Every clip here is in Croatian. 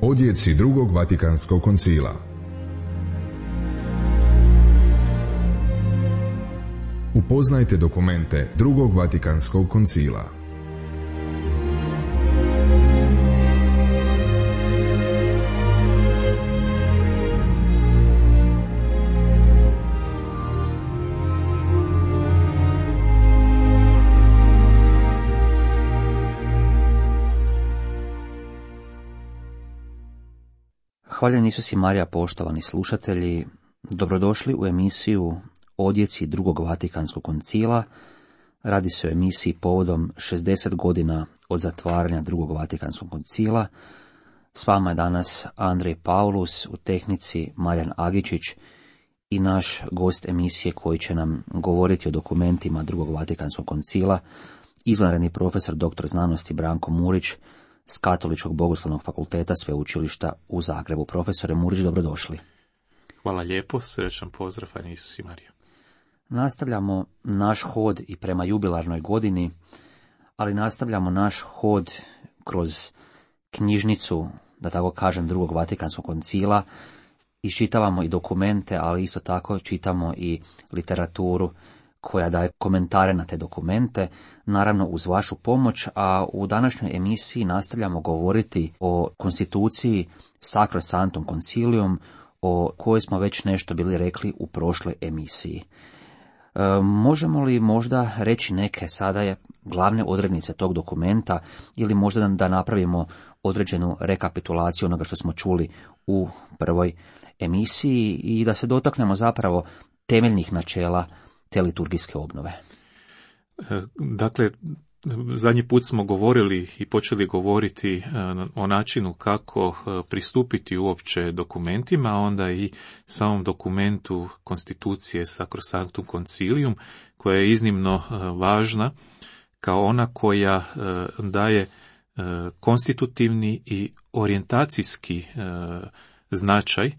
Odjeci drugog Vatikanskog koncila. Upoznajte dokumente drugog Vatikanskog koncila. Hvaljen Isus i Marija, poštovani slušatelji, dobrodošli u emisiju Odjeci drugog Vatikanskog koncila. Radi se o emisiji povodom 60 godina od zatvaranja drugog Vatikanskog koncila. S vama je danas Andrej Paulus, u tehnici Marijan Agičić i naš gost emisije koji će nam govoriti o dokumentima drugog Vatikanskog koncila, izvanredni profesor dr. znanosti Branko Murić s Katoličkog bogoslovnog fakulteta Sveučilišta u Zagrebu. Profesore Murić, dobrodošli. Hvala lijepo, srećan pozdrav, a Isus i Marija. Nastavljamo naš hod i prema jubilarnoj godini, ali nastavljamo naš hod kroz knjižnicu, da tako kažem, drugog Vatikanskog koncila. Iščitavamo i dokumente, ali isto tako čitamo i literaturu koja daje komentare na te dokumente, naravno uz vašu pomoć, a u današnjoj emisiji nastavljamo govoriti o konstituciji Sacrosanctum Concilium, o kojoj smo već nešto bili rekli u prošloj emisiji. Možemo li možda reći neke sada je glavne odrednice tog dokumenta ili možda da napravimo određenu rekapitulaciju onoga što smo čuli u prvoj emisiji i da se dotaknemo zapravo temeljnih načela te liturgijske obnove? Dakle, zadnji put smo govorili i počeli govoriti o načinu kako pristupiti uopće dokumentima, a onda i samom dokumentu konstitucije Sacrosanctum Concilium, koja je iznimno važna kao ona koja daje konstitutivni i orijentacijski značaj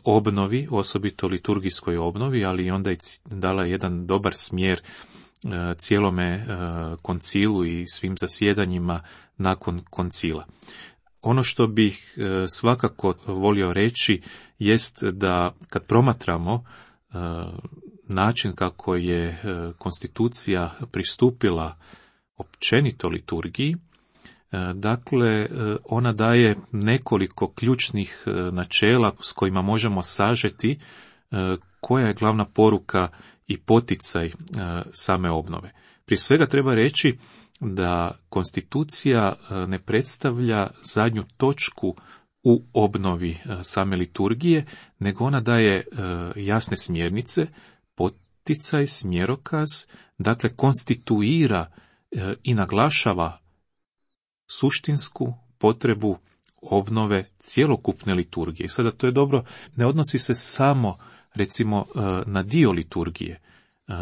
obnovi, osobito liturgijskoj obnovi, ali onda je dala jedan dobar smjer cijelome koncilu i svim zasjedanjima nakon koncila. Ono što bih svakako volio reći jest da kad promatramo način kako je konstitucija pristupila općenito liturgiji, dakle, ona daje nekoliko ključnih načela s kojima možemo sažeti koja je glavna poruka i poticaj same obnove. Prije svega treba reći da konstitucija ne predstavlja zadnju točku u obnovi same liturgije, nego ona daje jasne smjernice, poticaj, smjerokaz, dakle konstituira i naglašava suštinsku potrebu obnove cjelokupne liturgije. Sada to je dobro, ne odnosi se samo recimo na dio liturgije,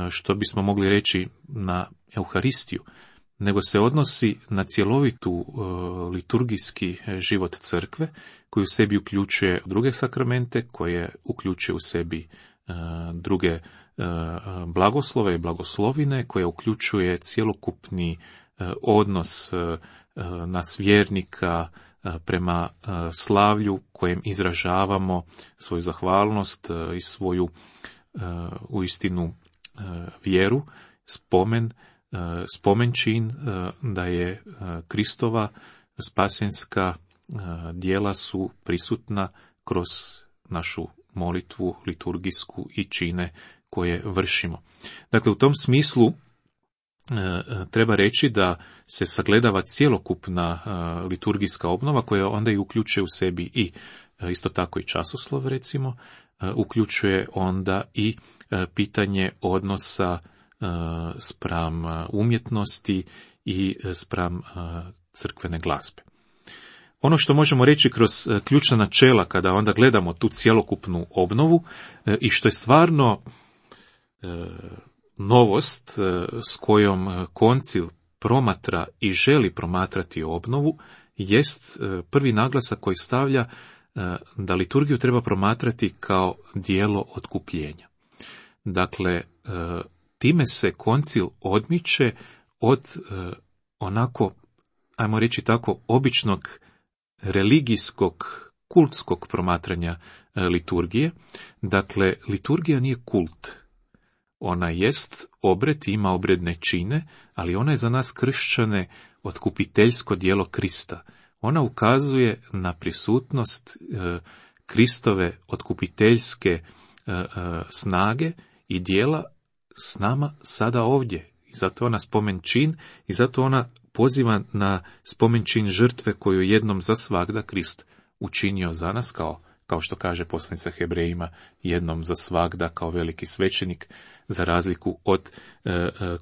što bismo mogli reći na Euharistiju, nego se odnosi na cjelovitu liturgijski život crkve, koji u sebi uključuje druge sakramente, koje uključuje u sebi druge blagoslove i blagoslovine, koje uključuje cjelokupni odnos nas vjernika prema slavlju kojem izražavamo svoju zahvalnost i svoju uistinu vjeru, spomenčin da je Kristova spasenska djela su prisutna kroz našu molitvu liturgijsku i čine koje vršimo. Dakle, u tom smislu treba reći da se sagledava cjelokupna liturgijska obnova koja onda i uključuje u sebi i isto tako i časoslov, recimo, uključuje onda i pitanje odnosa spram umjetnosti i spram crkvene glazbe. Ono što možemo reći kroz ključna načela kada onda gledamo tu cjelokupnu obnovu i što je stvarno novost s kojom koncil promatra i želi promatrati obnovu jest prvi naglasak koji stavlja da liturgiju treba promatrati kao djelo otkupljenja. Dakle, time se koncil odmiče od onako, ajmo reći tako, običnog religijskog kultskog promatranja liturgije. Dakle, liturgija nije kult. Ona jest obred, ima obredne čine, ali ona je za nas kršćane otkupiteljsko djelo Krista. Ona ukazuje na prisutnost Kristove otkupiteljske snage i djela s nama sada ovdje. I zato ona spomen čin i zato ona poziva na spomen čin žrtve koju jednom za svagda Krist učinio za nas, kao što kaže poslanica Hebrejima, jednom za svagda kao veliki svećenik, za razliku od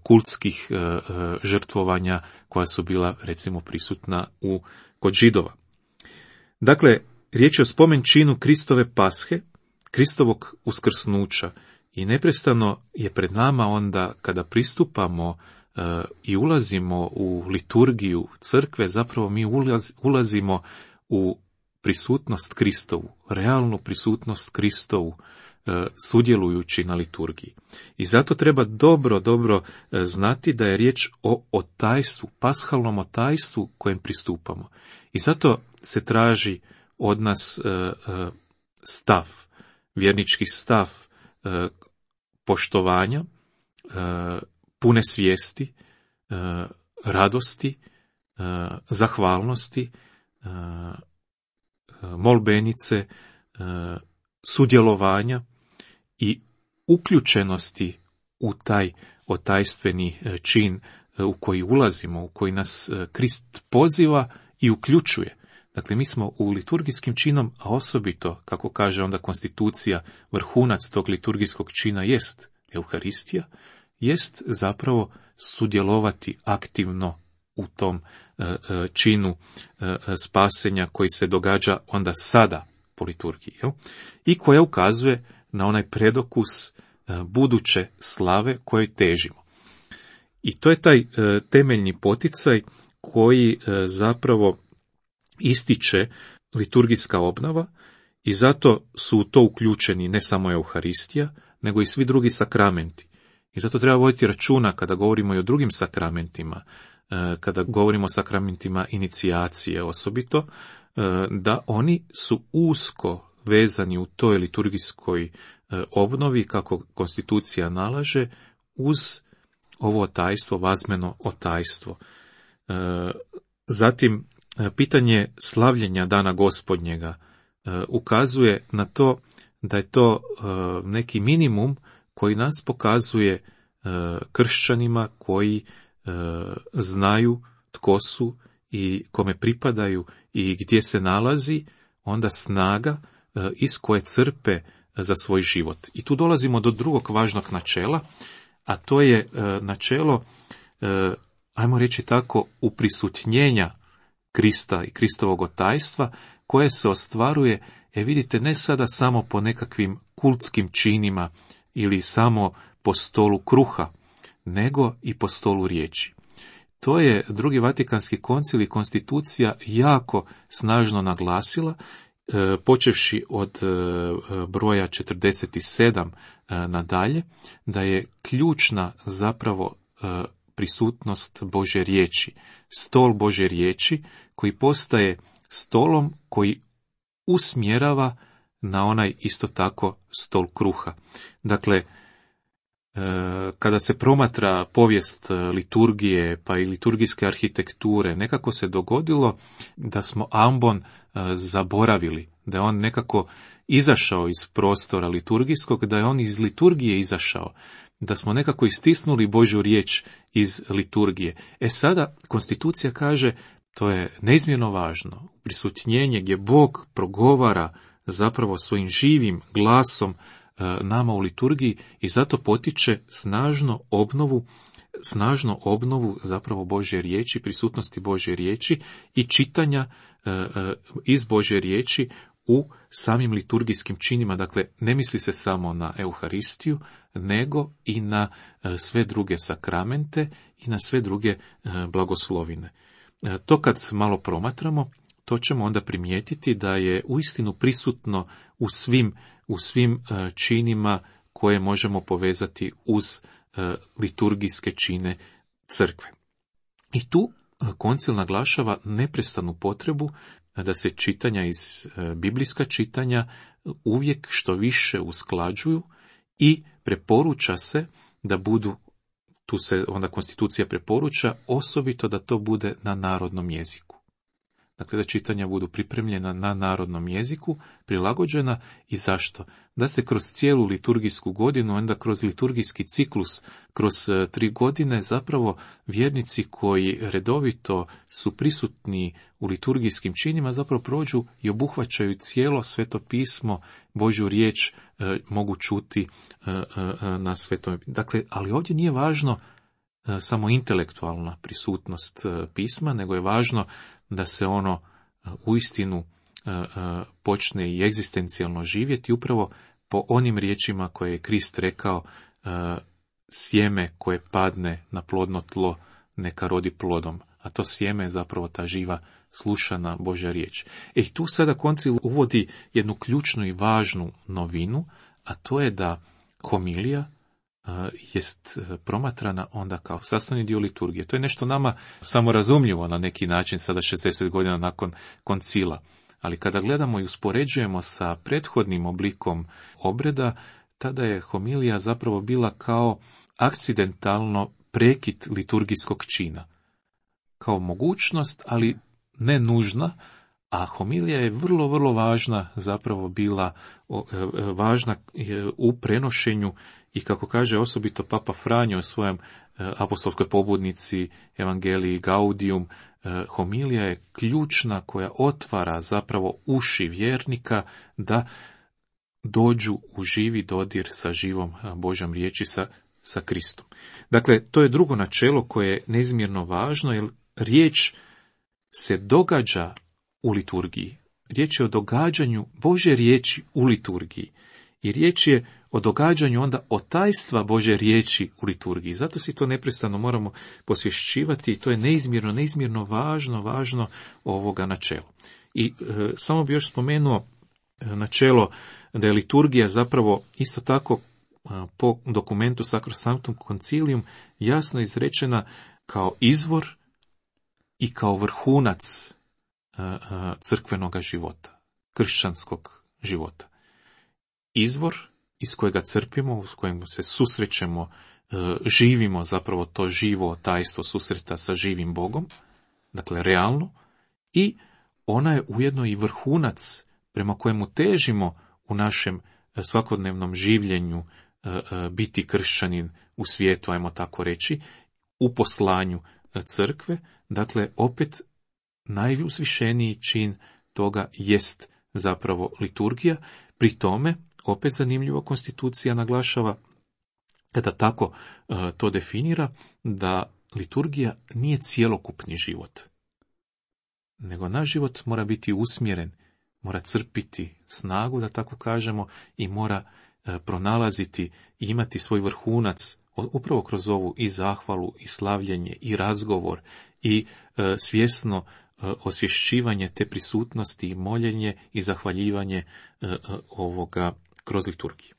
kultskih žrtvovanja koja su bila recimo prisutna kod Židova. Dakle, riječ je o spomen činu Kristove pashe, Kristovog uskrsnuća, i neprestano je pred nama onda kada pristupamo i ulazimo u liturgiju crkve, zapravo mi ulazimo u prisutnost Kristovu, realnu prisutnost Kristovu, sudjelujući na liturgiji. I zato treba dobro znati da je riječ o otajstvu, pashalnom otajstvu kojem pristupamo. I zato se traži od nas stav, vjernički stav poštovanja, pune svijesti, radosti, zahvalnosti, molbenice, sudjelovanja i uključenosti u taj otajstveni čin u koji ulazimo, u koji nas Krist poziva i uključuje. Dakle, mi smo u liturgijskim činom, a osobito, kako kaže onda konstitucija, vrhunac tog liturgijskog čina jest Euharistija, jest zapravo sudjelovati aktivno u tom činu spasenja koji se događa onda sada po liturgiji, i koja ukazuje na onaj predokus buduće slave kojoj težimo. I to je taj temeljni poticaj koji zapravo ističe liturgijska obnova, i zato su u to uključeni ne samo Euharistija, nego i svi drugi sakramenti. I zato treba voditi računa kada govorimo i o drugim sakramentima, kada govorimo o sakramentima inicijacije osobito, da oni su usko vezani u toj liturgijskoj obnovi, kako konstitucija nalaže, uz ovo otajstvo, vazmeno otajstvo. Zatim, pitanje slavljenja Dana Gospodnjega ukazuje na to da je to neki minimum koji nas pokazuje kršćanima koji znaju tko su i kome pripadaju i gdje se nalazi onda snaga iz koje crpe za svoj život. I tu dolazimo do drugog važnog načela, a to je načelo, ajmo reći tako, uprisutnjenja Krista i Kristovog otajstva, koje se ostvaruje, vidite, ne sada samo po nekakvim kultskim činima ili samo po stolu kruha, nego i po stolu riječi. To je Drugi Vatikanski koncil i konstitucija jako snažno naglasila, počevši od broja 47 nadalje, da je ključna zapravo prisutnost Božje riječi, stol Božje riječi koji postaje stolom koji usmjerava na onaj isto tako stol kruha. Dakle, kada se promatra povijest liturgije pa i liturgijske arhitekture, nekako se dogodilo da smo ambon zaboravili, da je on nekako izašao iz prostora liturgijskog, da je on iz liturgije izašao, da smo nekako istisnuli Božju riječ iz liturgije. Sada konstitucija kaže, to je neizmjerno važno, prisutnjenje gdje Bog progovara zapravo svojim živim glasom nama u liturgiji, i zato potiče snažno obnovu zapravo Božje riječi, prisutnosti Božje riječi i čitanja iz Božje riječi u samim liturgijskim činima. Dakle, ne misli se samo na Euharistiju, nego i na sve druge sakramente i na sve druge blagoslovine. To kad malo promatramo, to ćemo onda primijetiti da je uistinu prisutno u svim činima koje možemo povezati uz liturgijske čine crkve. I tu koncil naglašava neprestanu potrebu da se čitanja iz biblijska čitanja uvijek što više usklađuju i preporuča se da budu, tu se onda konstitucija preporuča, osobito da to bude na narodnom jeziku. Dakle, da čitanja budu pripremljena na narodnom jeziku, prilagođena i zašto? Da se kroz cijelu liturgijsku godinu, onda kroz liturgijski ciklus, kroz 3 godine, zapravo vjernici koji redovito su prisutni u liturgijskim činima, zapravo prođu i obuhvaćaju cijelo Sveto pismo, Božju riječ mogu čuti na Svetom. Dakle, ali ovdje nije važno samo intelektualna prisutnost pisma, nego je važno da se ono uistinu počne i egzistencijalno živjeti upravo po onim riječima koje je Krist rekao, sjeme koje padne na plodno tlo neka rodi plodom, a to sjeme je zapravo ta živa slušana Božja riječ. I tu sada koncil uvodi jednu ključnu i važnu novinu, a to je da homilija jest promatrana onda kao sastavni dio liturgije. To je nešto nama samorazumljivo na neki način sada 60 godina nakon koncila. Ali kada gledamo i uspoređujemo sa prethodnim oblikom obreda, tada je homilija zapravo bila kao akcidentalno prekid liturgijskog čina. Kao mogućnost, ali ne nužna, a homilija je vrlo, vrlo važna zapravo bila važna u prenošenju i kako kaže osobito Papa Franjo u svojem apostolskoj pobudnici Evangeliji Gaudium, homilija je ključna koja otvara zapravo uši vjernika da dođu u živi dodir sa živom Božjom riječi, sa Kristom. Dakle, to je drugo načelo koje je neizmjerno važno, jer riječ se događa u liturgiji. Riječ je o događanju Božje riječi u liturgiji. I riječ je o događanju onda otajstva Božje riječi u liturgiji. Zato si to neprestano moramo posvješćivati i to je neizmjerno važno ovoga načela. I samo bi još spomenuo načelo da je liturgija zapravo isto tako po dokumentu Sacrosanctum Concilium jasno izrečena kao izvor i kao vrhunac crkvenog života, kršćanskog života. Izvor iz kojega crpimo, s kojim se susrećemo, živimo zapravo to živo tajstvo susreta sa živim Bogom, dakle realno, i ona je ujedno i vrhunac prema kojemu težimo u našem svakodnevnom življenju biti kršćanin u svijetu, ajmo tako reći, u poslanju crkve. Dakle, opet najuzvišeniji čin toga jest zapravo liturgija. Pri tome, opet zanimljivo, konstitucija naglašava, kada tako to definira, da liturgija nije cjelokupni život, nego naš život mora biti usmjeren, mora crpiti snagu, da tako kažemo, i mora pronalaziti i imati svoj vrhunac upravo kroz ovu i zahvalu, i slavljenje, i razgovor, i svjesno osvješćivanje te prisutnosti, i moljenje i zahvaljivanje ovoga kroz liturgiju.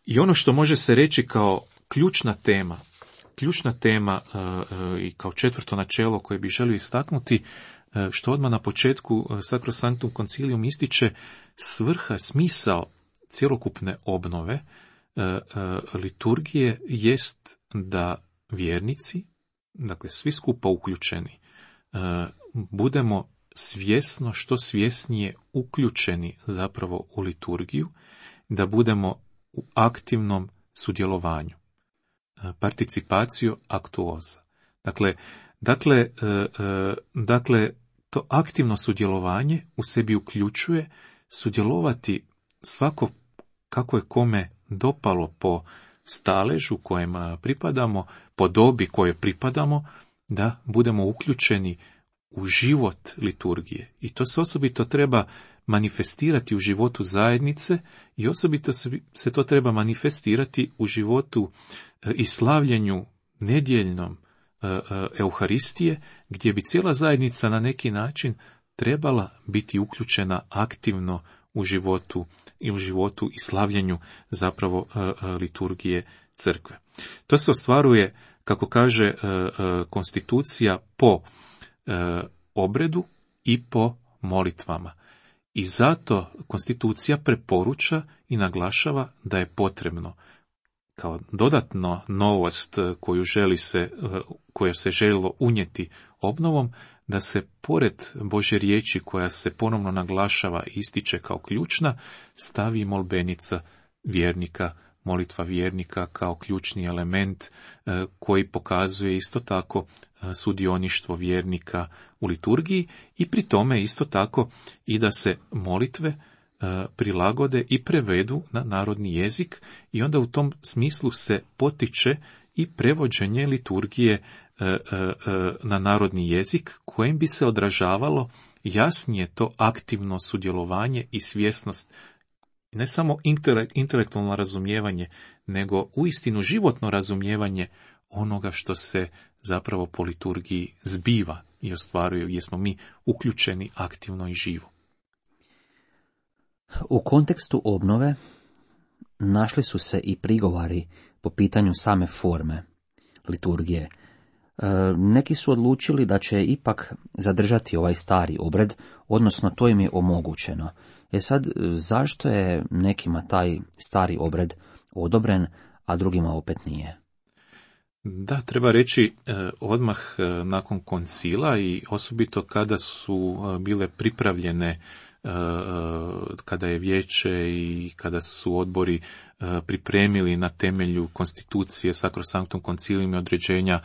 I ono što može se reći kao ključna tema i kao četvrto načelo koje bi želio istaknuti, što odmah na početku Sacrosanctum Concilium ističe, svrha, smisao cjelokupne obnove liturgije jest da vjernici, dakle svi skupa uključeni, budemo svjesno, što svjesnije uključeni zapravo u liturgiju, da budemo u aktivnom sudjelovanju, participatio actuosa. Dakle, to aktivno sudjelovanje u sebi uključuje sudjelovati svako kako je kome dopalo po staležu kojem pripadamo, po dobi kojoj pripadamo, da budemo uključeni u život liturgije. I to se osobito treba manifestirati u životu zajednice i osobito se to treba manifestirati u životu i slavljenju nedjeljnom Euharistije, gdje bi cijela zajednica na neki način trebala biti uključena aktivno u životu i slavljenju zapravo liturgije crkve. To se ostvaruje, kako kaže konstitucija, po obredu i po molitvama. I zato konstitucija preporuča i naglašava da je potrebno kao dodatno novost koju se željelo unijeti obnovom, da se pored Božje riječi koja se ponovno naglašava i ističe kao ključna, stavi molbenica vjernika, molitva vjernika kao ključni element koji pokazuje isto tako sudioništvo vjernika u liturgiji i pri tome isto tako i da se molitve prilagode i prevedu na narodni jezik i onda u tom smislu se potiče i prevođenje liturgije na narodni jezik kojim bi se odražavalo jasnije to aktivno sudjelovanje i svjesnost, ne samo intelektualno razumijevanje, nego uistinu životno razumijevanje onoga što se zapravo po liturgiji zbiva i ostvaruje, gdje smo mi uključeni aktivno i živo. U kontekstu obnove našli su se i prigovori po pitanju same forme liturgije. Neki su odlučili da će ipak zadržati ovaj stari obred, odnosno to im je omogućeno. Sad, zašto je nekima taj stari obred odobren, a drugima opet nije? Da, treba reći odmah nakon koncila i osobito kada su bile pripravljene, kada je vijeće i kada su odbori pripremili na temelju konstitucije Sacrosanctum Concilium i određenja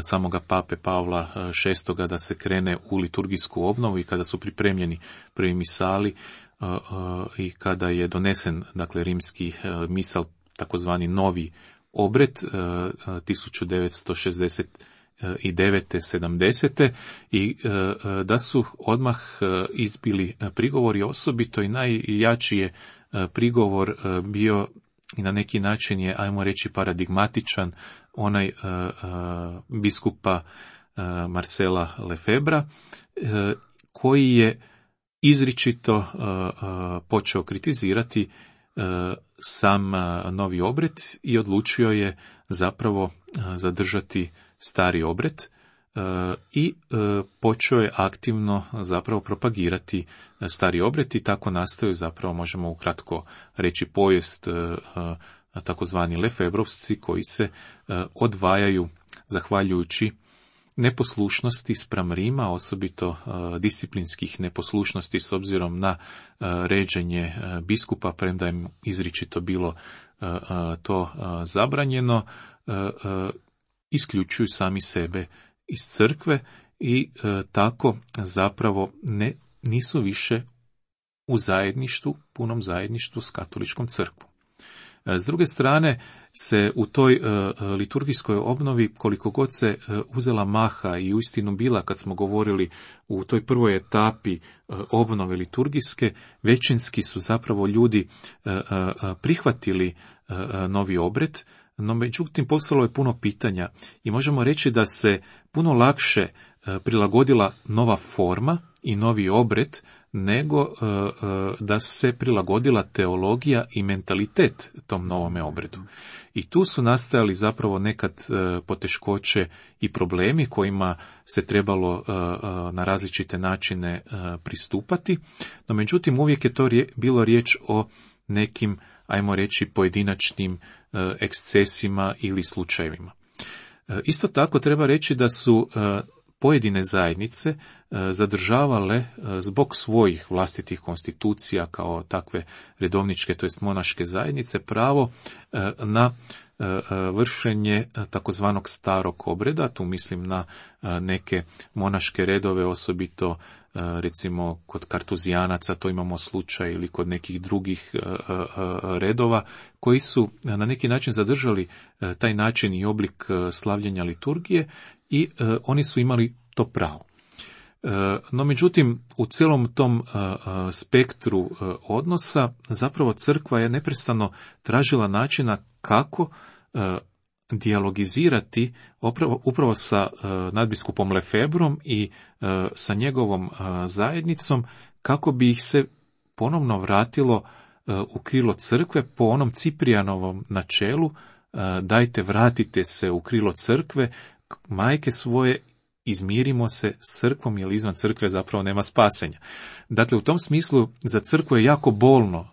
samoga pape Pavla VI da se krene u liturgijsku obnovu i kada su pripremljeni prvi misali i kada je donesen, dakle, rimski misal, takozvani novi obred 1969. 70. i da su odmah izbili prigovori, osobito i najjači je prigovor bio i na neki način je, ajmo reći, paradigmatičan, onaj biskupa Marcela Lefebvra, koji je izričito počeo kritizirati sam novi obred i odlučio je zapravo zadržati stari obred i počeo je aktivno zapravo propagirati stari obred i tako nastaju, zapravo možemo ukratko reći, povijest takozvani Lefebrovsci koji se odvajaju zahvaljujući neposlušnosti spram Rima, osobito disciplinskih neposlušnosti s obzirom na ređenje biskupa, premda je izričito bilo to zabranjeno, isključuju sami sebe iz crkve i tako zapravo nisu više u zajedništvu, punom zajedništvu s katoličkom crkvom. S druge strane se u toj liturgijskoj obnovi, koliko god se uzela maha i uistinu bila, kad smo govorili u toj prvoj etapi obnove liturgijske, većinski su zapravo ljudi prihvatili novi obred, no međutim postalo je puno pitanja i možemo reći da se puno lakše prilagodila nova forma i novi obred nego da se prilagodila teologija i mentalitet tom novome obredu. I tu su nastajali zapravo nekad poteškoće i problemi kojima se trebalo na različite načine pristupati, no međutim uvijek je to bilo riječ o nekim, ajmo reći, pojedinačnim ekscesima ili slučajevima. Isto tako treba reći da su pojedine zajednice zadržavale zbog svojih vlastitih konstitucija kao takve redovničke, to jest monaške zajednice, pravo na vršenje takozvanog starog obreda. Tu mislim na neke monaške redove, osobito recimo kod kartuzijanaca to imamo slučaj, ili kod nekih drugih redova koji su na neki način zadržali taj način i oblik slavljenja liturgije i oni su imali to pravo. No međutim, u cijelom tom spektru odnosa zapravo crkva je neprestano tražila načina kako dijalogizirati upravo sa nadbiskupom Lefebrom i sa njegovom zajednicom, kako bi ih se ponovno vratilo u krilo crkve po onom Ciprijanovom načelu: dajte, vratite se u krilo crkve, majke svoje, izmirimo se s crkvom, jer izvan crkve zapravo nema spasenja. Dakle, u tom smislu za crkvu je jako bolno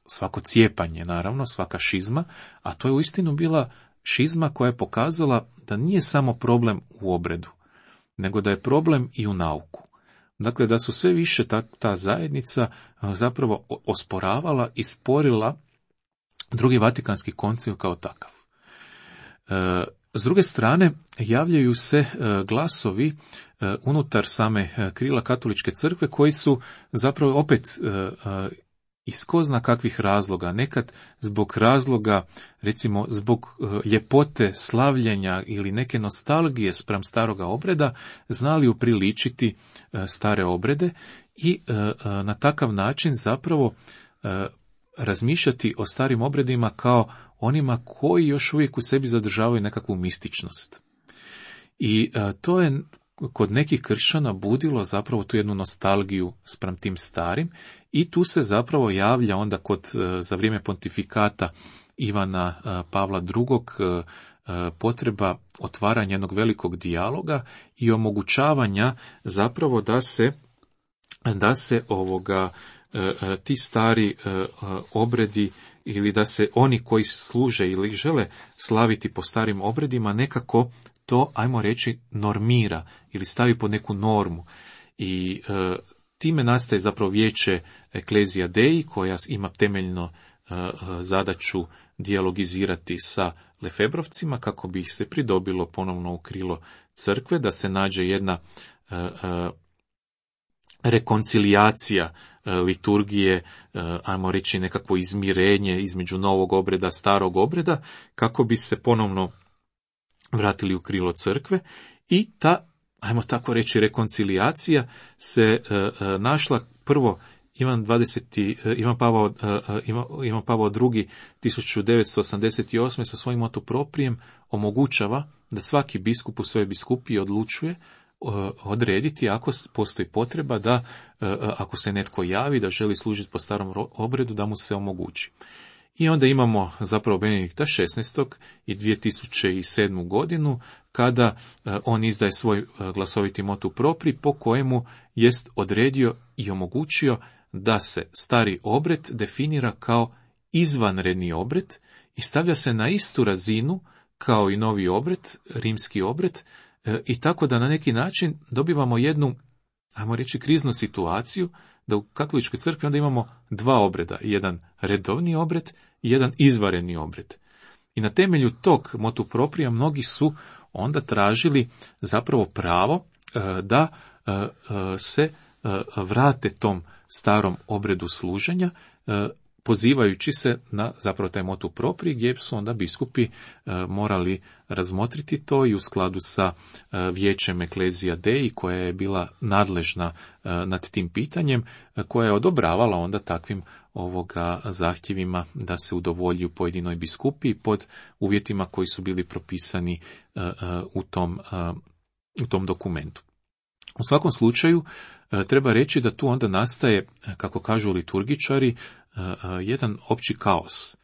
svako cijepanje, naravno, svaka šizma, a to je uistinu bila šizma koja je pokazala da nije samo problem u obredu, nego da je problem i u nauku. Dakle, da su sve više ta zajednica zapravo osporavala i sporila Drugi Vatikanski koncil kao takav. S druge strane, javljaju se glasovi unutar same krila katoličke crkve koji su zapravo opet iz ko zna kakvih razloga, nekad zbog razloga, recimo zbog ljepote slavljenja ili neke nostalgije spram staroga obreda, znali upriličiti stare obrede i na takav način zapravo razmišljati o starim obredima kao onima koji još uvijek u sebi zadržavaju nekakvu mističnost. I to je kod nekih kršćana budilo zapravo tu jednu nostalgiju spram tim starim i tu se zapravo javlja onda za vrijeme pontifikata Ivana Pavla II. Potreba otvaranja jednog velikog dijaloga i omogućavanja zapravo da se ti stari obredi ili da se oni koji služe ili žele slaviti po starim obredima nekako to, ajmo reći, normira ili stavi pod neku normu. I time nastaje zapravo vijeće Ecclesia Dei koja ima temeljno zadaću dijalogizirati sa Lefebrovcima kako bi ih se pridobilo ponovno u krilo crkve, da se nađe jedna rekoncilijacija liturgije, ajmo reći nekakvo izmirenje između novog obreda, starog obreda, kako bi se ponovno vratili u krilo crkve i ta, ajmo tako reći, rekoncilijacija se našla prvo Ivan Pavao II 1988. sa svojim motu proprijem omogućava da svaki biskup u svojoj biskupiji odlučuje odrediti ako postoji potreba da ako se netko javi da želi služiti po starom obredu da mu se omogući. I onda imamo zapravo Benedikta XVI i 2007. godinu kada on izdaje svoj glasoviti motu propri po kojemu jest odredio i omogućio da se stari obred definira kao izvanredni obred i stavlja se na istu razinu kao i novi obred, rimski obred, i tako da na neki način dobivamo jednu, ajmo reći, kriznu situaciju, da u katoličkoj crkvi onda imamo dva obreda, jedan redovni obred i jedan izvanredni obred. I na temelju tog motu proprija mnogi su onda tražili zapravo pravo da se vrate tom starom obredu služenja, pozivajući se na zapravo taj motu propri, gdje su onda biskupi morali razmotriti to i u skladu sa vijećem Ecclesia Dei, koja je bila nadležna nad tim pitanjem, koja je odobravala onda takvim zahtjevima da se udovolju pojedinoj biskupiji pod uvjetima koji su bili propisani u tom dokumentu. U svakom slučaju, treba reći da tu onda nastaje, kako kažu liturgičari, jedan opći kaos.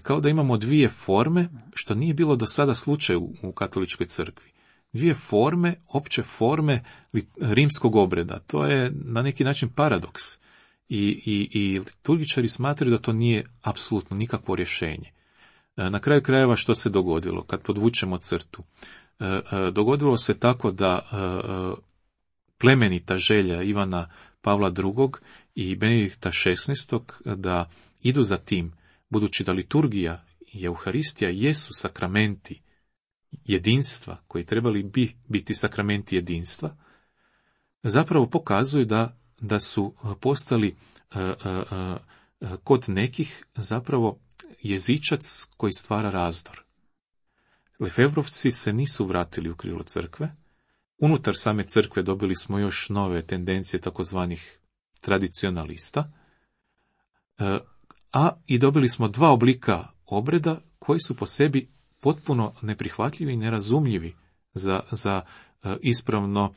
Kao da imamo dvije forme, što nije bilo do sada slučaj u katoličkoj crkvi. Dvije forme, opće forme rimskog obreda. To je na neki način paradoks. I liturgičari smatraju da to nije apsolutno nikakvo rješenje. Na kraju krajeva što se dogodilo, kad podvučemo crtu? Dogodilo se tako da plemenita želja Ivana Pavla II. I Benedikta XVI. Da idu za tim, budući da liturgija i Euharistija jesu sakramenti jedinstva, koji trebali biti sakramenti jedinstva, zapravo pokazuju da su postali kod nekih zapravo jezičac koji stvara razdor. Lefebrovci se nisu vratili u krilo crkve. Unutar same crkve dobili smo još nove tendencije takozvanih tradicionalista, a i dobili smo dva oblika obreda koji su po sebi potpuno neprihvatljivi i nerazumljivi za ispravno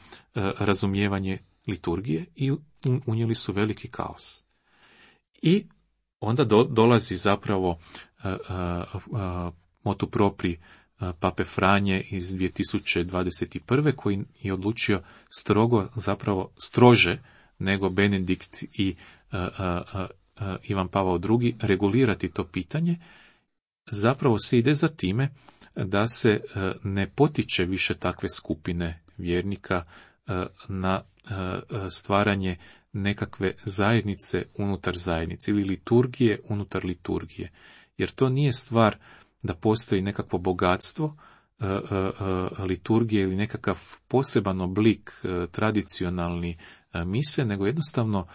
razumijevanje liturgije i unijeli su veliki kaos. I onda dolazi zapravo motu propri pape Franje iz 2021. koji je odlučio strože nego Benedikt i Ivan Pavao II. Regulirati to pitanje. Zapravo se ide za time da se ne potiče više takve skupine vjernika na stvaranje nekakve zajednice unutar zajednice ili liturgije unutar liturgije. Jer to nije stvar da postoji nekakvo bogatstvo liturgije ili nekakav poseban oblik tradicionalni mise, nego jednostavno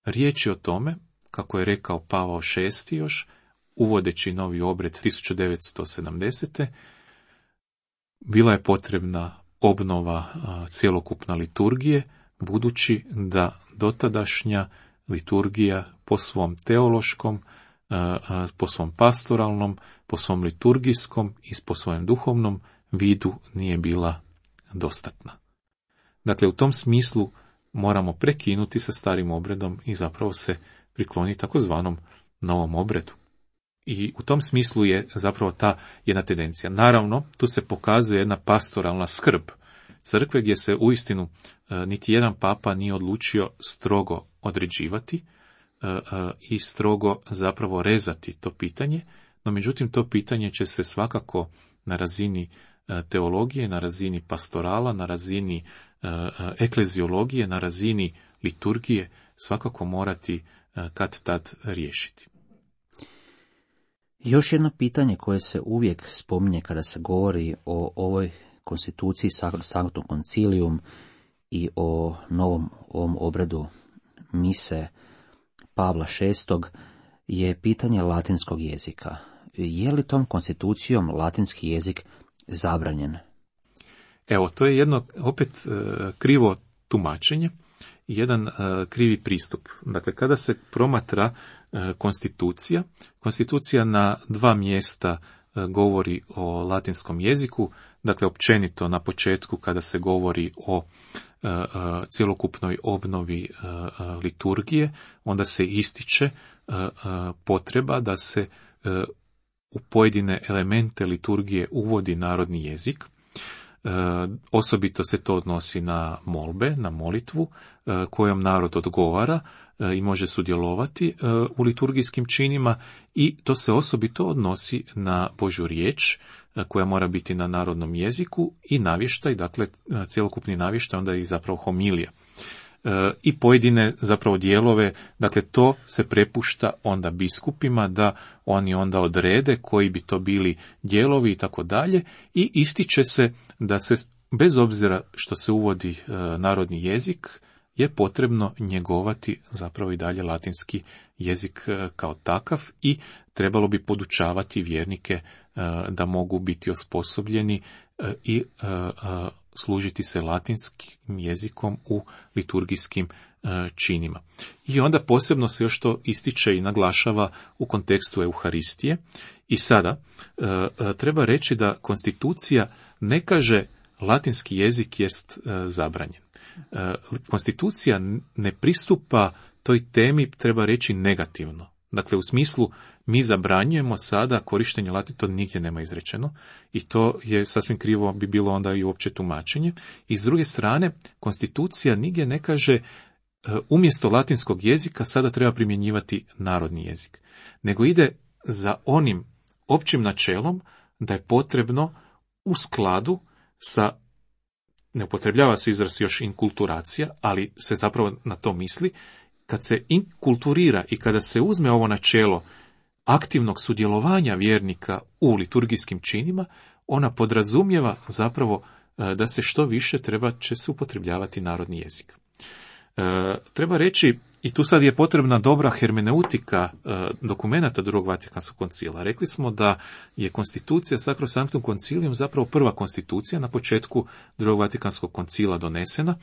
riječ je o tome, kako je rekao Pavao VI još, uvodeći novi obred 1970. bila je potrebna obnova cjelokupna liturgije, budući da dotadašnja liturgija po svom teološkom, po svom pastoralnom, po svom liturgijskom i po svojem duhovnom vidu nije bila dostatna. Dakle, u tom smislu moramo prekinuti sa starim obredom i zapravo se prikloniti takozvanom novom obredu. I u tom smislu je zapravo ta jedna tendencija. Naravno, tu se pokazuje jedna pastoralna skrb crkve gdje se uistinu niti jedan papa nije odlučio strogo određivati i strogo zapravo rezati to pitanje, no međutim to pitanje će se svakako na razini teologije, na razini pastorala, na razini ekleziologije, na razini liturgije svakako morati kad tad riješiti. Još jedno pitanje koje se uvijek spominje kada se govori o ovoj konstituciji Sanctum Concilium i o ovom obredu mise Pavla VI je pitanje latinskog jezika. Je li tom konstitucijom latinski jezik zabranjen? Evo, to je jedno opet krivo tumačenje, jedan krivi pristup. Dakle, kada se promatra konstitucija na dva mjesta govori o latinskom jeziku, dakle općenito na početku kada se govori o cjelokupnoj obnovi liturgije, onda se ističe potreba da se u pojedine elemente liturgije uvodi narodni jezik. Osobito se to odnosi na molbe, na molitvu kojom narod odgovara i može sudjelovati u liturgijskim činima, i to se osobito odnosi na Božju riječ koja mora biti na narodnom jeziku i navještaj, dakle cjelokupni navještaj, onda i zapravo homilija. I pojedine zapravo dijelove, dakle to se prepušta onda biskupima da oni onda odrede koji bi to bili dijelovi i tako dalje, i ističe se da se bez obzira što se uvodi narodni jezik je potrebno njegovati zapravo i dalje latinski jezik kao takav i trebalo bi podučavati vjernike da mogu biti osposobljeni i služiti se latinskim jezikom u liturgijskim činima. I onda posebno se još to ističe i naglašava u kontekstu Euharistije. I sada treba reći da konstitucija ne kaže latinski jezik jest zabranjen. Konstitucija ne pristupa toj temi, treba reći, negativno. Dakle, u smislu mi zabranjujemo sada korištenje latina, to nigdje nema izrečeno i to je sasvim krivo bi bilo onda i uopće tumačenje. I s druge strane, konstitucija nigdje ne kaže umjesto latinskog jezika sada treba primjenjivati narodni jezik, nego ide za onim općim načelom da je potrebno u skladu sa, ne upotrebljava se izraz još inkulturacija, ali se zapravo na to misli, kad se inkulturira i kada se uzme ovo načelo aktivnog sudjelovanja vjernika u liturgijskim činima, ona podrazumijeva zapravo da se što više će se upotrebljavati narodni jezik. Treba reći, i tu sad je potrebna dobra hermeneutika dokumenata Drugog Vatikanskog koncila. Rekli smo da je konstitucija Sacrosanctum Concilium zapravo prva konstitucija na početku Drugog Vatikanskog koncila donesena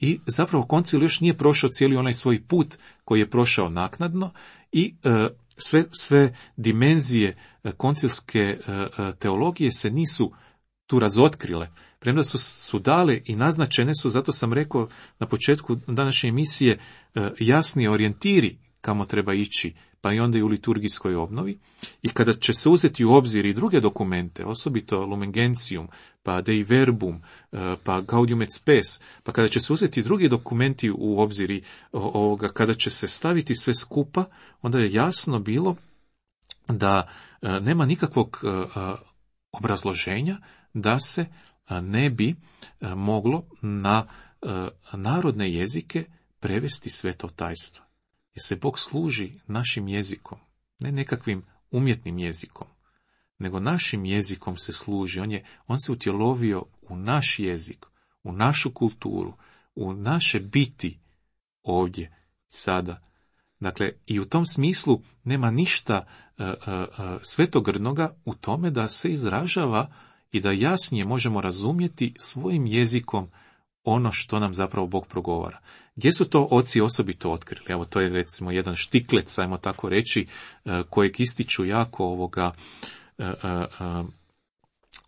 i zapravo koncil još nije prošao cijeli onaj svoj put koji je prošao naknadno i sve dimenzije koncilske teologije se nisu tu razotkrile. Premda su dale i naznačene su, zato sam rekao na početku današnje emisije, jasni orijentiri kamo treba ići, pa i onda i u liturgijskoj obnovi. I kada će se uzeti u obzir i druge dokumente, osobito Lumen Gentium, pa Dei Verbum, pa Gaudium et Spes, pa kada će se uzeti drugi dokumenti u obzir ovoga, kada će se staviti sve skupa, onda je jasno bilo da nema nikakvog obrazloženja da se ne bi moglo na narodne jezike prevesti sveto tajstvo. Jer se Bog služi našim jezikom, ne nekakvim umjetnim jezikom, nego našim jezikom se služi. On se utjelovio u naš jezik, u našu kulturu, u naše biti ovdje, sada. Dakle, i u tom smislu nema ništa svetogrđnoga u tome da se izražava i da jasnije možemo razumjeti svojim jezikom ono što nam zapravo Bog progovara. Gdje su to oci osobito otkrili? Evo, to je recimo jedan štiklec, ajmo tako reći, kojeg ističu jako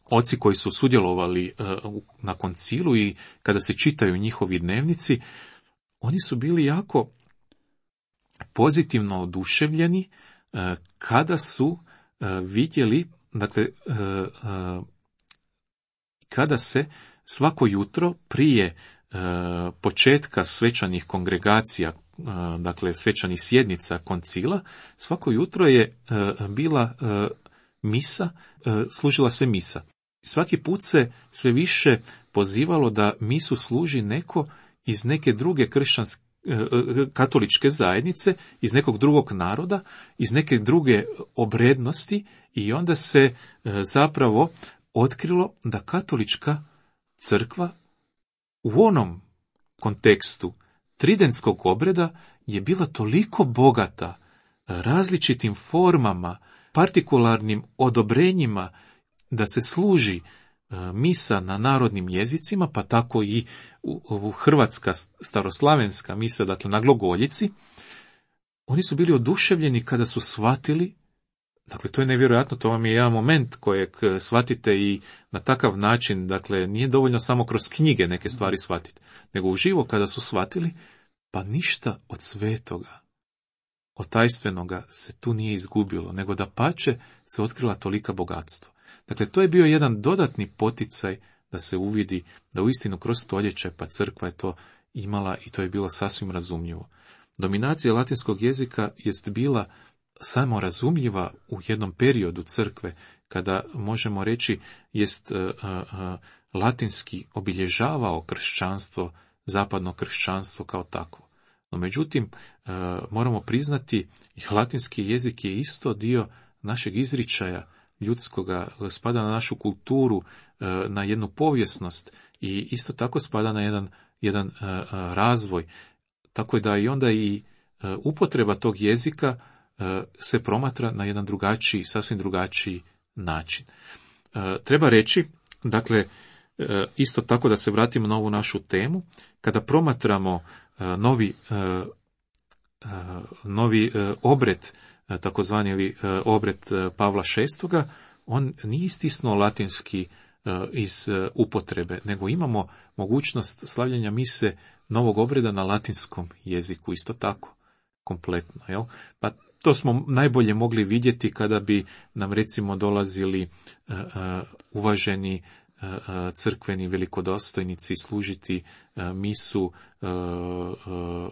oci koji su sudjelovali na koncilu i kada se čitaju njihovi dnevnici, oni su bili jako pozitivno oduševljeni kada su vidjeli, dakle, kada se svako jutro prije početka svečanih kongregacija, dakle svečanih sjednica koncila, svako jutro je bila misa, služila se misa. Svaki put se sve više pozivalo da misu služi neko iz neke druge katoličke zajednice, iz nekog drugog naroda, iz neke druge obrednosti, i onda se zapravo otkrilo da katolička crkva u onom kontekstu tridentskog obreda je bila toliko bogata različitim formama, partikularnim odobrenjima da se služi misa na narodnim jezicima, pa tako i u hrvatska staroslavenska misa, dakle na glagoljici. Oni su bili oduševljeni kada su shvatili, dakle to je nevjerojatno, to vam je jedan moment kojeg shvatite i na takav način, dakle nije dovoljno samo kroz knjige neke stvari shvatiti, nego uživo kada su shvatili, pa ništa od svetoga, od tajstvenoga se tu nije izgubilo, nego da pače se otkrila tolika bogatstva. Dakle, to je bio jedan dodatni poticaj da se uvidi da uistinu kroz stoljeće, pa crkva je to imala i to je bilo sasvim razumljivo. Dominacija latinskog jezika jest bila samo razumljiva u jednom periodu crkve, kada možemo reći jest latinski obilježavao kršćanstvo, zapadno kršćanstvo kao takvo. No međutim, moramo priznati, latinski jezik je isto dio našeg izričaja ljudskoga, spada na našu kulturu, na jednu povijesnost i isto tako spada na jedan razvoj. Tako da i onda i upotreba tog jezika se promatra na jedan drugačiji, sasvim drugačiji način. Treba reći, dakle, isto tako da se vratimo na ovu našu temu, kada promatramo novi obred, takozvani ili obred Pavla VI, on nije istisnuo latinski iz upotrebe, nego imamo mogućnost slavljenja mise novog obreda na latinskom jeziku, isto tako, kompletno. Jel? Pa to smo najbolje mogli vidjeti kada bi nam recimo dolazili uvaženi crkveni velikodostojnici služiti misu,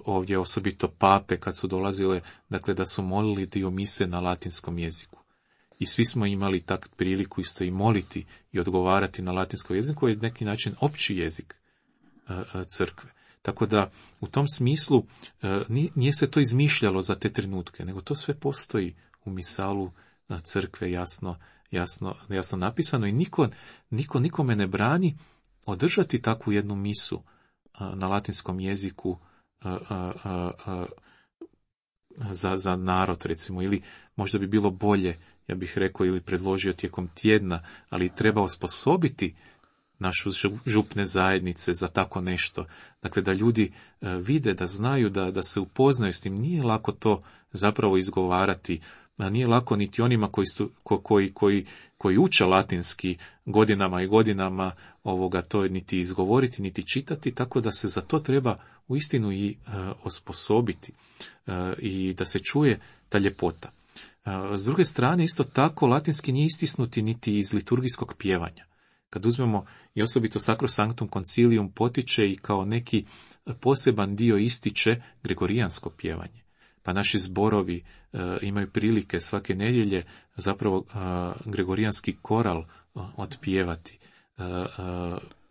ovdje osobito pape kad su dolazile, dakle da su molili dio mise na latinskom jeziku. I svi smo imali tak priliku isto i moliti i odgovarati na latinskom jeziku, koji je neki način opći jezik crkve. Tako da u tom smislu nije se to izmišljalo za te trenutke, nego to sve postoji u misalu crkve jasno napisano i niko nikome ne brani održati takvu jednu misu na latinskom jeziku za narod, recimo, ili možda bi bilo bolje, ja bih rekao, ili predložio tijekom tjedna, ali treba osposobiti našu župne zajednice za tako nešto. Dakle, da ljudi vide, da znaju, da se upoznaju s tim. Nije lako to zapravo izgovarati nije lako niti onima koji uče latinski godinama i godinama to niti izgovoriti, niti čitati, tako da se za to treba uistinu i osposobiti i da se čuje ta ljepota. S druge strane, isto tako, latinski nije istisnuti niti iz liturgijskog pjevanja. Kad uzmemo i osobito Sacrosanctum Concilium potiče i kao neki poseban dio ističe gregorijansko pjevanje. Pa naši zborovi imaju prilike svake nedjelje zapravo gregorijanski koral otpjevati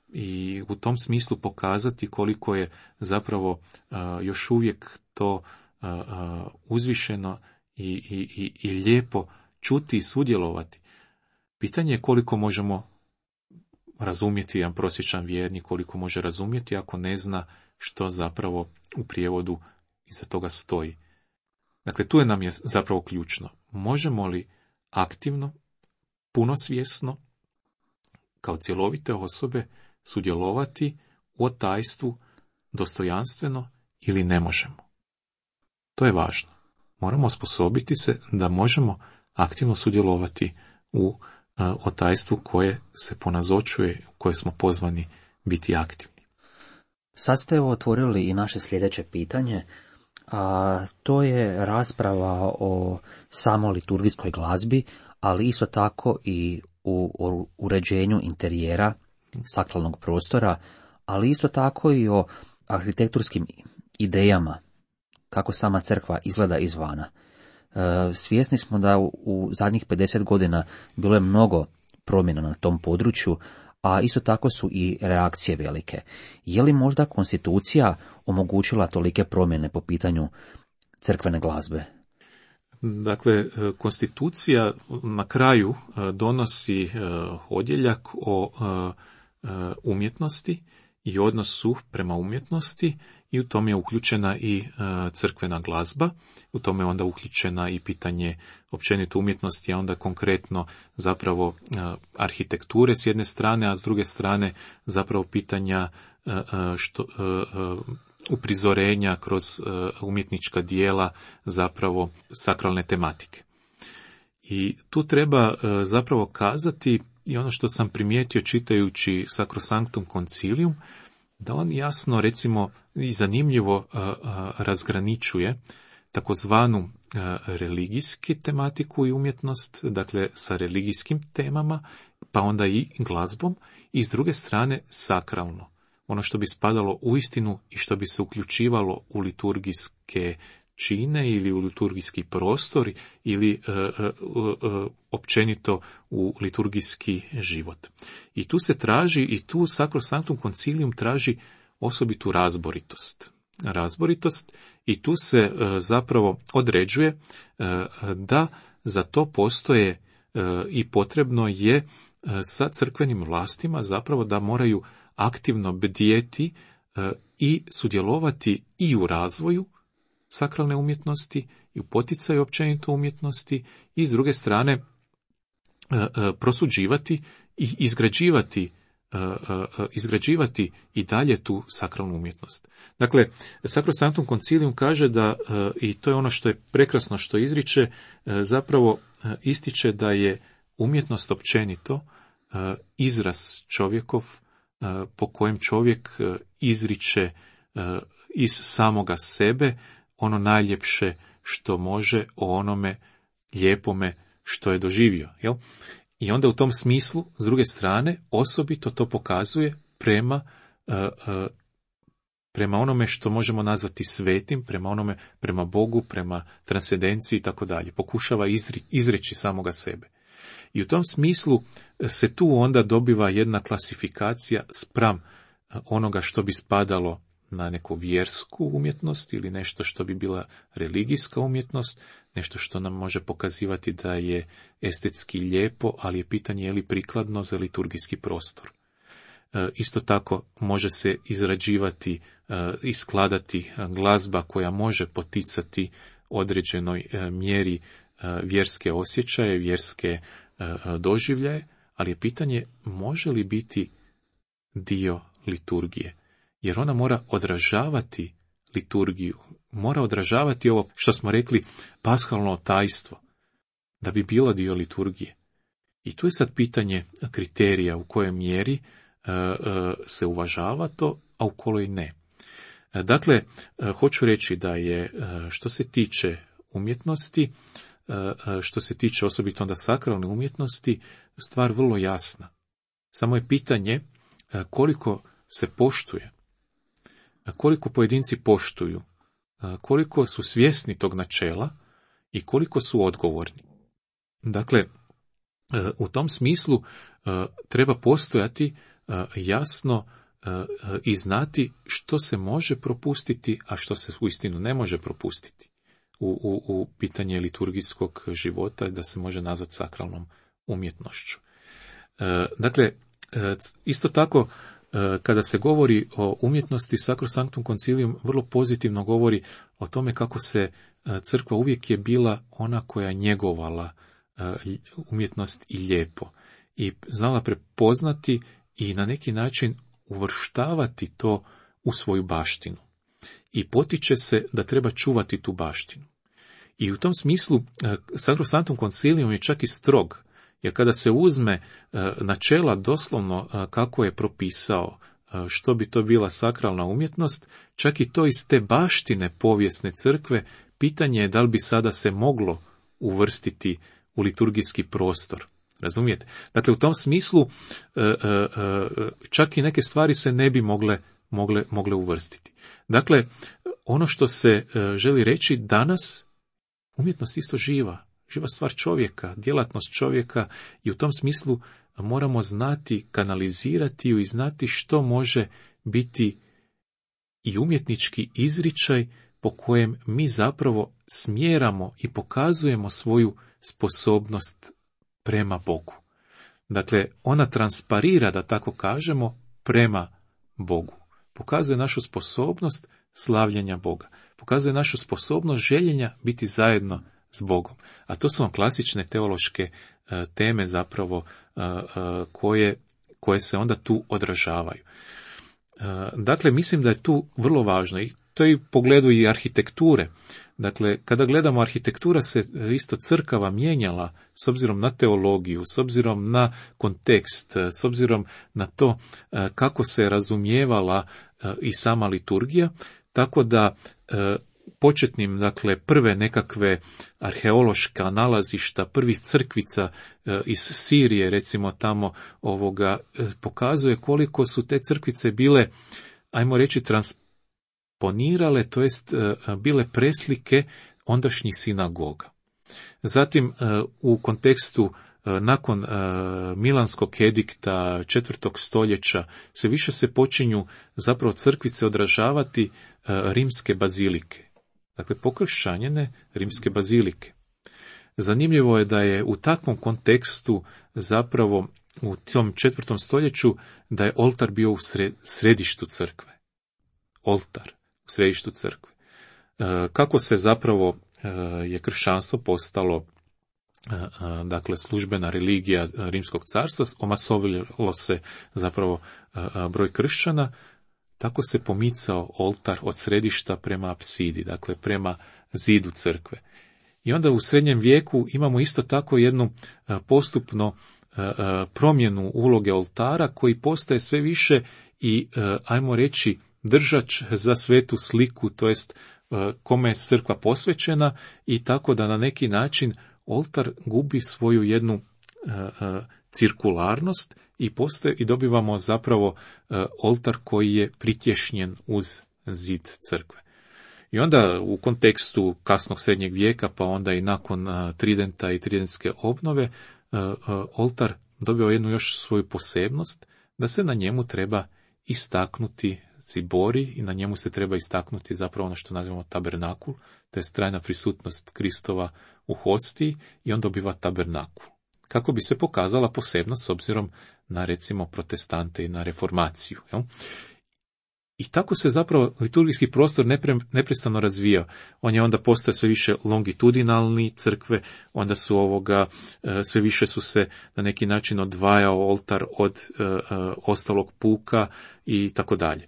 i u tom smislu pokazati koliko je zapravo još uvijek to uzvišeno i lijepo čuti i sudjelovati. Pitanje je koliko možemo razumjeti jedan prosječan vjernik, koliko može razumjeti ako ne zna što zapravo u prijevodu iza toga stoji. Dakle, tu nam je zapravo ključno. Možemo li aktivno, punosvjesno, kao cjelovite osobe, sudjelovati u otajstvu dostojanstveno ili ne možemo? To je važno. Moramo osposobiti se da možemo aktivno sudjelovati u otajstvu koje se ponazočuje, u koje smo pozvani biti aktivni. Sad ste otvorili i naše sljedeće pitanje, a to je rasprava o samo liturgijskoj glazbi, ali isto tako i u uređenju interijera sakralnog prostora, ali isto tako i o arhitekturskim idejama, kako sama crkva izgleda izvana. Svjesni smo da u zadnjih 50 godina bilo je mnogo promjena na tom području, a isto tako su i reakcije velike. Je li možda konstitucija omogućila tolike promjene po pitanju crkvene glazbe? Dakle, konstitucija na kraju donosi odjeljak o umjetnosti i odnosu prema umjetnosti i u tome je uključena i crkvena glazba, u tome je onda uključena i pitanje općenito umjetnosti, a onda konkretno zapravo arhitekture s jedne strane, a s druge strane zapravo pitanja uprizorenja kroz umjetnička dijela zapravo sakralne tematike. I tu treba zapravo kazati i ono što sam primijetio čitajući Sacrosanctum Concilium, da on jasno, recimo, i zanimljivo razgraničuje takozvanu religijski tematiku i umjetnost, dakle sa religijskim temama, pa onda i glazbom, i s druge strane sakralno. Ono što bi spadalo u istinu i što bi se uključivalo u liturgijske čine ili u liturgijski prostor ili općenito u liturgijski život. I tu se traži, i tu Sacrosanctum Concilium traži osobitu razboritost i tu se zapravo određuje da za to postoje i potrebno je sa crkvenim vlastima zapravo da moraju aktivno bdjeti i sudjelovati i u razvoju sakralne umjetnosti i u poticaju općenito umjetnosti i s druge strane prosuđivati i izgrađivati i dalje tu sakralnu umjetnost. Dakle, Sacrosanctum Concilium kaže da, i to je ono što je prekrasno što izriče, zapravo ističe da je umjetnost općenito izraz čovjekov po kojem čovjek izriče iz samoga sebe ono najljepše što može o onome lijepome što je doživio. Jel? I onda u tom smislu, s druge strane, osobito to pokazuje prema onome što možemo nazvati svetim, prema Bogu, prema transcendenciji i tako dalje. Pokušava izreći samoga sebe. I u tom smislu se tu onda dobiva jedna klasifikacija spram onoga što bi spadalo na neku vjersku umjetnost ili nešto što bi bila religijska umjetnost, nešto što nam može pokazivati da je estetski lijepo, ali je pitanje je li prikladno za liturgijski prostor. Isto tako može se izrađivati i skladati glazba koja može poticati određenoj mjeri vjerske osjećaje, vjerske doživljaje, ali je pitanje može li biti dio liturgije. Jer ona mora odražavati liturgiju, mora odražavati ovo što smo rekli pashalno tajstvo. da bi bila dio liturgije. I tu je sad pitanje kriterija u kojoj mjeri se uvažava to, a u kojoj ne. Dakle, hoću reći da je što se tiče umjetnosti, što se tiče osobito onda sakralne umjetnosti, stvar vrlo jasna. Samo je pitanje koliko se poštuje, koliko pojedinci poštuju, koliko su svjesni tog načela i koliko su odgovorni. Dakle, u tom smislu treba postojati jasno i znati što se može propustiti, a što se uistinu ne može propustiti u pitanje liturgijskog života, da se može nazvati sakralnom umjetnošću. Dakle, isto tako, kada se govori o umjetnosti, Sacrosanctum Concilium vrlo pozitivno govori o tome kako se crkva uvijek je bila ona koja njegovala umjetnost i lijepo i znala prepoznati i na neki način uvrštavati to u svoju baštinu. I potiče se da treba čuvati tu baštinu. I u tom smislu Sacrosanctum Concilium je čak i strog, jer kada se uzme načela doslovno kako je propisao što bi to bila sakralna umjetnost, čak i to iz te baštine povijesne crkve, pitanje je da li bi sada se moglo uvrstiti u liturgijski prostor. Razumijete? Dakle, u tom smislu čak i neke stvari se ne bi mogle uvrstiti. Dakle, ono što se želi reći danas, umjetnost isto živa stvar čovjeka, djelatnost čovjeka i u tom smislu moramo znati, kanalizirati ju i znati što može biti i umjetnički izričaj po kojem mi zapravo smjeramo i pokazujemo svoju sposobnost prema Bogu. Dakle, ona transparira, da tako kažemo, prema Bogu. Pokazuje našu sposobnost slavljenja Boga. Pokazuje našu sposobnost željenja biti zajedno s Bogom. A to su vam klasične teološke teme zapravo koje se onda tu odražavaju. Dakle, mislim da je tu vrlo važno i to je u pogledu i arhitekture. Dakle, kada gledamo, arhitektura se isto crkava mijenjala s obzirom na teologiju, s obzirom na kontekst, s obzirom na to kako se razumijevala i sama liturgija, tako da početnim, dakle, prve nekakve arheološka nalazišta, prvih crkvica iz Sirije, recimo tamo pokazuje koliko su te crkvice bile, ajmo reći, transponirale, to jest bile preslike ondašnjih sinagoga. Zatim, u kontekstu nakon Milanskog edikta 4. stoljeća sve više se počinju zapravo crkvice odražavati rimske bazilike. Dakle, pokršćanjene rimske bazilike. Zanimljivo je da je u takvom kontekstu zapravo u tom 4. stoljeću da je oltar bio u središtu crkve. Oltar u središtu crkve. Kako se zapravo je kršćanstvo postalo dakle službena religija Rimskog carstva, omasovilo se zapravo broj kršćana, tako se pomicao oltar od središta prema apsidi, dakle prema zidu crkve. I onda u srednjem vijeku imamo isto tako jednu postupno promjenu uloge oltara koji postaje sve više i, ajmo reći, držač za svetu sliku, to jest kome je crkva posvećena, i tako da na neki način oltar gubi svoju jednu cirkularnost i dobivamo zapravo oltar koji je pritješnjen uz zid crkve. I onda u kontekstu kasnog srednjeg vijeka, pa onda i nakon Tridenta i Tridentske obnove, oltar dobio jednu još svoju posebnost, da se na njemu treba istaknuti cibori i na njemu se treba istaknuti zapravo ono što nazivamo tabernakul, to je trajna prisutnost Kristova u hostiji, i on dobiva tabernakul. Kako bi se pokazala posebnost s obzirom na, recimo, protestante i na reformaciju. Jel? I tako se zapravo liturgijski prostor neprestano razvijao. On je onda postao sve više longitudinalni crkve, onda su sve više su se na neki način odvajao oltar od ostalog puka i tako dalje.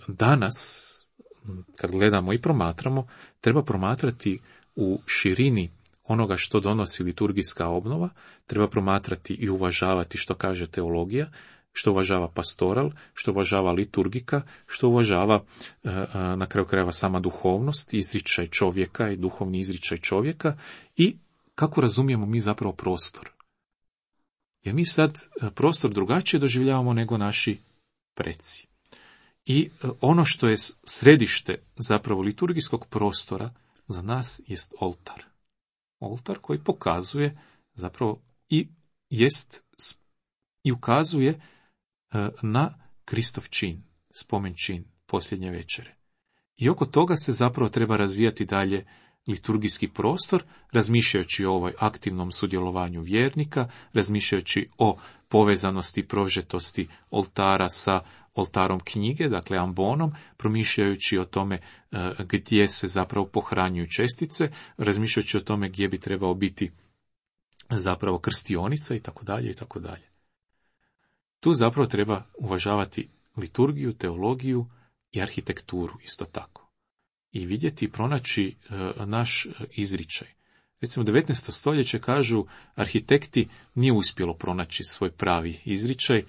Danas, kad gledamo i promatramo, treba promatrati u širini onoga što donosi liturgijska obnova, treba promatrati i uvažavati što kaže teologija, što uvažava pastoral, što uvažava liturgika, što uvažava na kraju krajeva sama duhovnost, izričaj čovjeka i duhovni izričaj čovjeka i kako razumijemo mi zapravo prostor. Jer mi sad prostor drugačije doživljavamo nego naši preci. I ono što je središte zapravo liturgijskog prostora za nas jest oltar. Oltar koji pokazuje zapravo i ukazuje na Kristov čin, spomen čin posljednje večere. I oko toga se zapravo treba razvijati dalje liturgijski prostor, razmišljajući o ovoj aktivnom sudjelovanju vjernika, razmišljajući o povezanosti i prožetosti oltara sa oltarom knjige, dakle ambonom, promišljajući o tome gdje se zapravo pohranjuju čestice, razmišljajući o tome gdje bi trebao biti zapravo krstionica i tako dalje i tako dalje. Tu zapravo treba uvažavati liturgiju, teologiju i arhitekturu isto tako. I vidjeti i pronaći naš izričaj. Recimo 19. stoljeće kažu arhitekti nije uspjelo pronaći svoj pravi izričaj,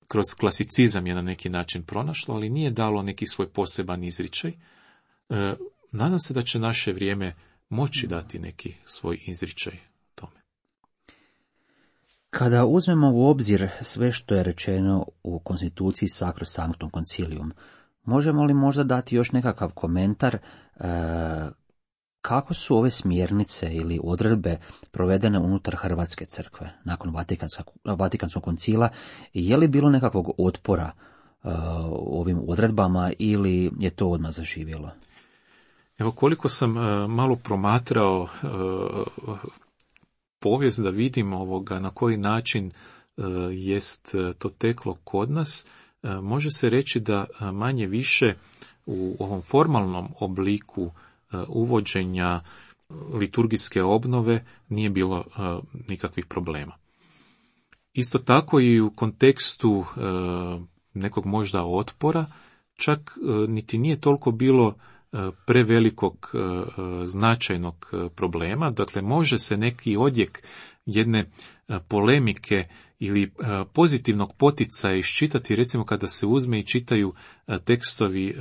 kroz klasicizam je na neki način pronašlo, ali nije dalo neki svoj poseban izričaj. Nadam se da će naše vrijeme moći dati neki svoj izričaj tome. Kada uzmemo u obzir sve što je rečeno u konstituciji Sacro Sanctum Concilium, možemo li možda dati još nekakav komentar kako su ove smjernice ili odredbe provedene unutar Hrvatske crkve nakon Vatikanskog koncila? Je li bilo nekakvog otpora ovim odredbama ili je to odmah zaživjelo? Evo koliko sam malo promatrao povijest da vidim na koji način jest to teklo kod nas, može se reći da manje više u ovom formalnom obliku uvođenja liturgijske obnove nije bilo nikakvih problema. Isto tako i u kontekstu nekog možda otpora, čak niti nije toliko bilo prevelikog značajnog problema, dakle može se neki odjek jedne polemike ili pozitivnog poticaja iščitati, recimo kada se uzme i čitaju tekstovi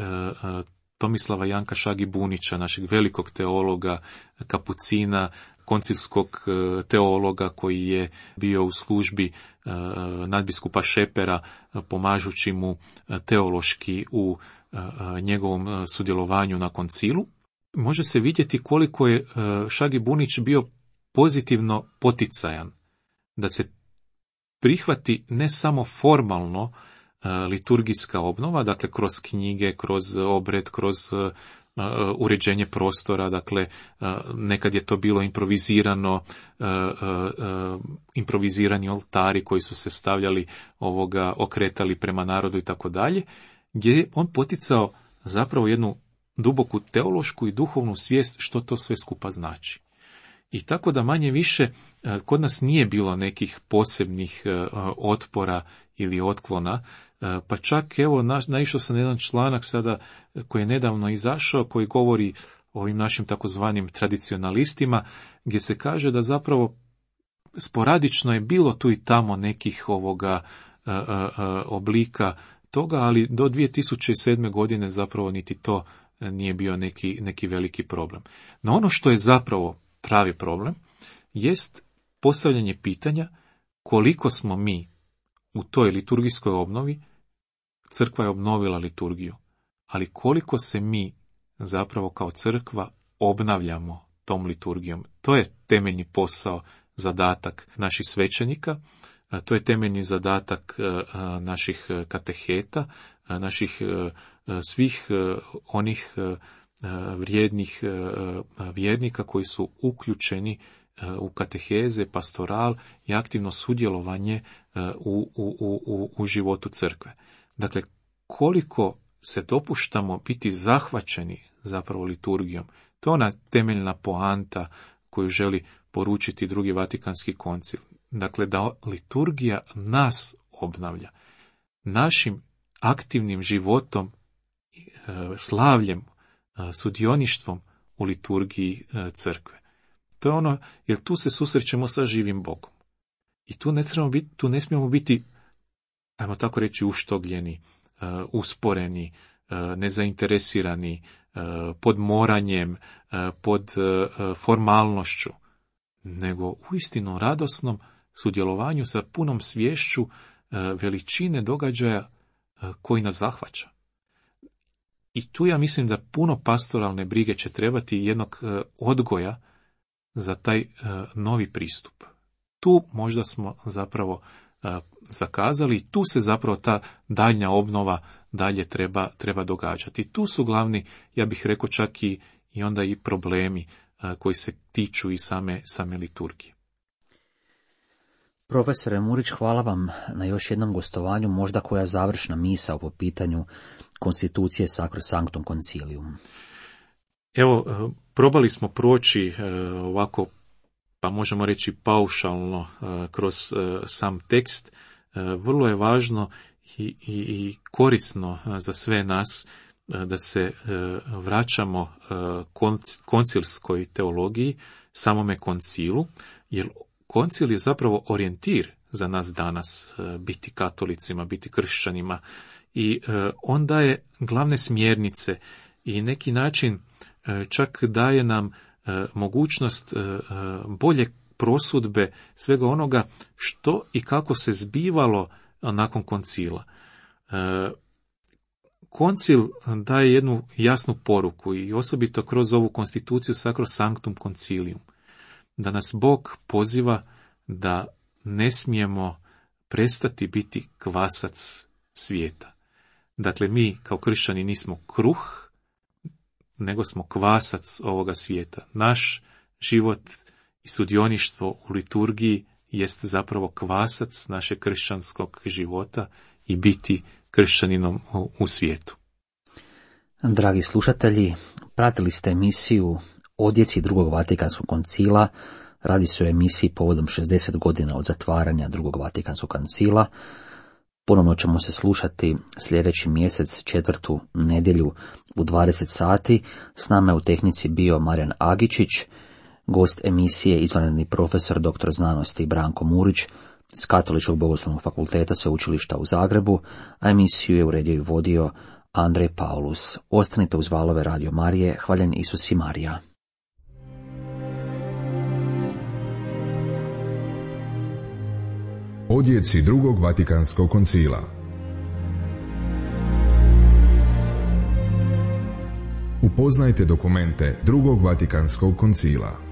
Tomislava Janka Šagi-Bunića, našeg velikog teologa, kapucina, koncilskog teologa koji je bio u službi nadbiskupa Šepera, pomažući mu teološki u njegovom sudjelovanju na koncilu. Može se vidjeti koliko je Šagi-Bunić bio pozitivno poticajan da se prihvati ne samo formalno liturgijska obnova, dakle kroz knjige, kroz obred, kroz uređenje prostora, dakle nekad je to bilo improvizirani oltari koji su se stavljali okretali prema narodu i tako dalje, gdje je on poticao zapravo jednu duboku teološku i duhovnu svijest što to sve skupa znači. I tako da manje više kod nas nije bilo nekih posebnih otpora ili otklona, pa čak evo naišao sam na jedan članak sada koji je nedavno izašao, koji govori o ovim našim takozvanim tradicionalistima, gdje se kaže da zapravo sporadično je bilo tu i tamo nekih oblika toga, ali do 2007. godine zapravo niti to nije bio neki veliki problem. No ono što je zapravo pravi problem jest postavljanje pitanja koliko smo mi u toj liturgijskoj obnovi, crkva je obnovila liturgiju, ali koliko se mi zapravo kao crkva obnavljamo tom liturgijom. To je temeljni posao, zadatak naših svećenika, to je temeljni zadatak naših kateheta, naših svih onih vrijednih vjernika koji su uključeni u kateheze, pastoral i aktivno sudjelovanje u životu crkve. Dakle, koliko se dopuštamo biti zahvaćeni zapravo liturgijom, to je ona temeljna poanta koju želi poručiti Drugi Vatikanski koncil. Dakle, da liturgija nas obnavlja. Našim aktivnim životom, slavljem, sudioništvom u liturgiji crkve. To je ono, jer tu se susrećemo sa živim Bogom. I tu ne smijemo biti, ajmo tako reći, uštogljeni, usporeni, nezainteresirani, pod moranjem, pod formalnošću, nego uistinu radosnom sudjelovanju sa punom sviješću veličine događaja koji nas zahvaća. I tu ja mislim da puno pastoralne brige će trebati jednog odgoja za taj novi pristup. Tu možda smo zapravo zakazali i tu se zapravo ta daljnja obnova dalje treba događati. Tu su glavni, ja bih rekao, čak i onda i problemi koji se tiču i same liturgije. Profesore Murić, hvala vam na još jednom gostovanju, možda koja završna misao po pitanju konstitucije Sacrosanctum Concilium. Evo, probali smo proći ovako, pa možemo reći paušalno, kroz sam tekst. Vrlo je važno i korisno za sve nas da se vraćamo koncilskoj teologiji, samome koncilu, jer koncil je zapravo orijentir za nas danas, biti katolicima, biti kršćanima, i on daje glavne smjernice i neki način čak daje nam mogućnost bolje prosudbe svega onoga što i kako se zbivalo nakon koncila. Koncil daje jednu jasnu poruku i osobito kroz ovu konstituciju Sacrosanctum Concilium, da nas Bog poziva da ne smijemo prestati biti kvasac svijeta. Dakle, mi kao kršćani nismo kruh, nego smo kvasac ovoga svijeta. Naš život i sudioništvo u liturgiji jest zapravo kvasac našeg kršćanskog života i biti kršćaninom u svijetu. Dragi slušatelji, pratili ste emisiju Odjeci Drugog Vatikanskog koncila. Radi se o emisiji povodom 60 godina od zatvaranja Drugog Vatikanskog koncila. Ponovno ćemo se slušati sljedeći mjesec, četvrtu nedjelju u 20 sati. S nama je u tehnici bio Marijan Agičić, gost emisije izvanredni profesor dr. znanosti Branko Murić s Katoličkog bogoslovnog fakulteta Sveučilišta u Zagrebu, a emisiju je uredio i vodio Andrej Paulus. Ostanite uz valove Radio Marije. Hvaljen Isus i Marija. Odjeci Drugog Vatikanskog koncila. Upoznajte dokumente Drugog Vatikanskog koncila.